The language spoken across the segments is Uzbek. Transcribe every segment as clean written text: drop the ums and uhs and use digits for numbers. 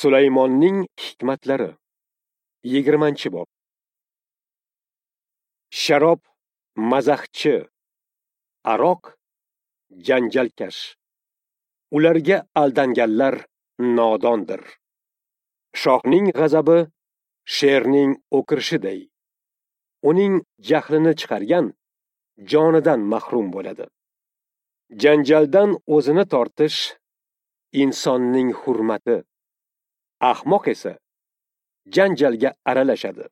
Sulaymonning hikmatlari. 20-bob. Sharob mazaxchi, aroq janjalkash. Ularga aldanganlar nodondir. Shohning g'azabi sherning o'kirishiday. Uning jahlini chiqargan jonidan mahrum bo'ladi. Janjaldan o'zini tortish insonning hurmati. Ahmoq esa janjalga aralashadi.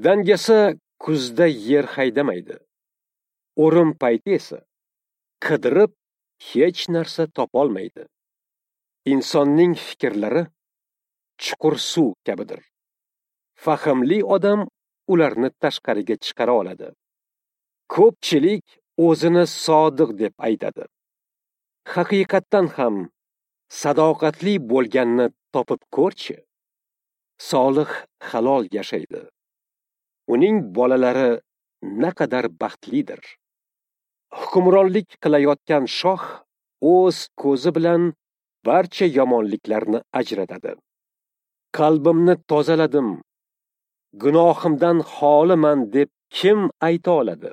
Dangasa kuzda yer haydamaydi. O'rim payti esa qidirib hech narsa topolmaydi. Insonning fikrlari chuqur suv kabidir. Fahmli odam ularni tashqariga chiqara oladi. Ko'pchilik o'zini sodiq deb aytadi. Haqiqatdan ham sadoqatli bo'lganni topib ko'rchi. Solih halol yashaydi. Uning bolalari naqadar baxtlidir. Hukmronlik qilayotgan shoh o'z ko'zi bilan barcha yomonliklarni ajratadi. Qalbimni tozaladim, gunohimdan xoliman deb kim ayta oladi?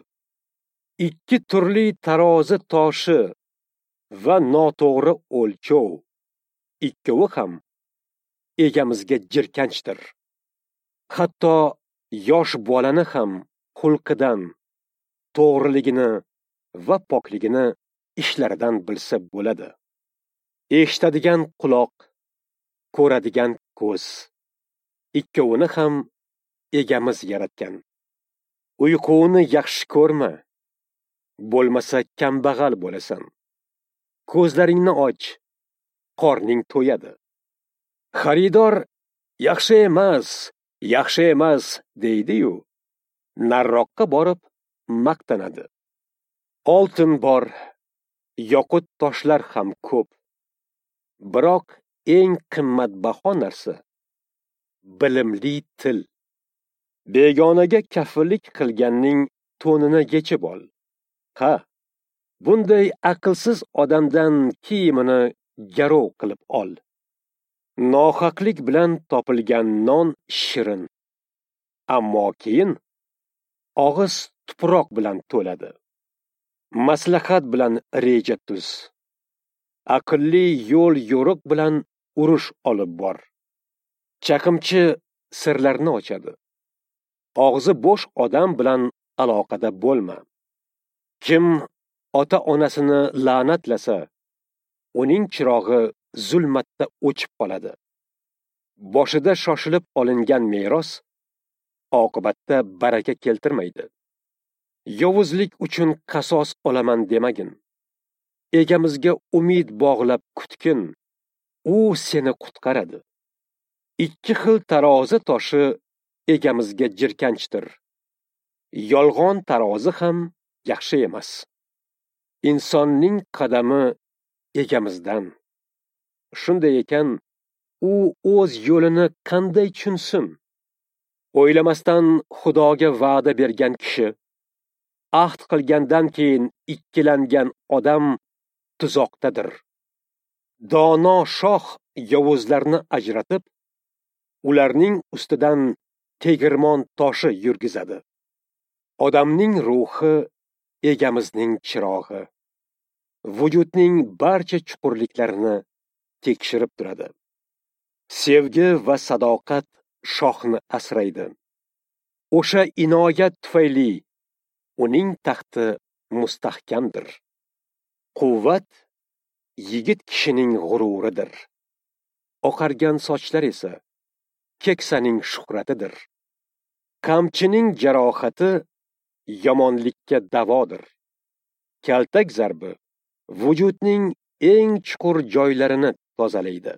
Ikki turli tarozi toshi va noto'g'ri o'lchov, ikkovi ham egamizga jirkanchdir. Hatto yosh bolani ham xulqidan, to'g'riligini va pokligini ishlaridan bilsa bo'ladi. Eshitadigan quloq, ko'radigan ko'z, ikkovini ham egamiz yaratgan. Uyquni yaxshi ko'rma, bo'lmasa kambag'al bo'lasan. Ko'zlaringni och, qorning to'yadi. Xaridor yaxshi emas, yaxshi emas deydi-yu, narroqqa borib maqtanadi. Oltin bor, yoqut toshlar ham ko'p. Biroq eng qimmatbaho narsa bilimli til. Begonaga kafillik qilganning to'nini yechib ol. Ha, bunday aqlsiz odamdan kiyimini garov qilib ol. Nohaqlik bilan topilgan non shirin, ammo keyin og'iz tuproq bilan to'ladi. Maslahat bilan reja tuz. Aqlli yo'l yo'riq bilan urush olib bor. Chaqimchi sirlarni ochadi. Og'zi bo'sh odam bilan aloqada bo'lma. Kim ota-onasini la'natlasa, uning chirog'i zulmatda o'chib qoladi. Boshida shoshilib olingan meros oqibatda baraka keltirmaydi. Yovuzlik uchun qasos olaman demagin. Egamizga umid bog'lab kutgin, u seni qutqaradi. Ikki xil tarozi toshi egamizga jirkanchdir. Yolg'on tarozi ham yaxshi emas. Insonning qadami egamizdan. Shunday ekan, u o'z yo'lini qanday tushunsin? O'ylamasdan Xudoga va'da bergan kishi, ahd qilgandan keyin ikkilangan odam tuzoqdadir. Dono shoh yovuzlarni ajratib, ularning ustidan tegirmon toshi yurgizadi. Odamning ruhi egamizning chirog'i. Vujudning barcha chuqurliklarini tekshirib turadi. Sevgi va sadoqat shohni asraydi. O'sha inoyat tufayli uning taxti mustahkamdir. Quvvat yigit kishining g'ururidir. Oqargan sochlar esa keksaning shuhratidir. Qamchining jarohati yomonlikka davodir. Kaltak zarbi vujudning eng chuqur joylarini tozalaydi.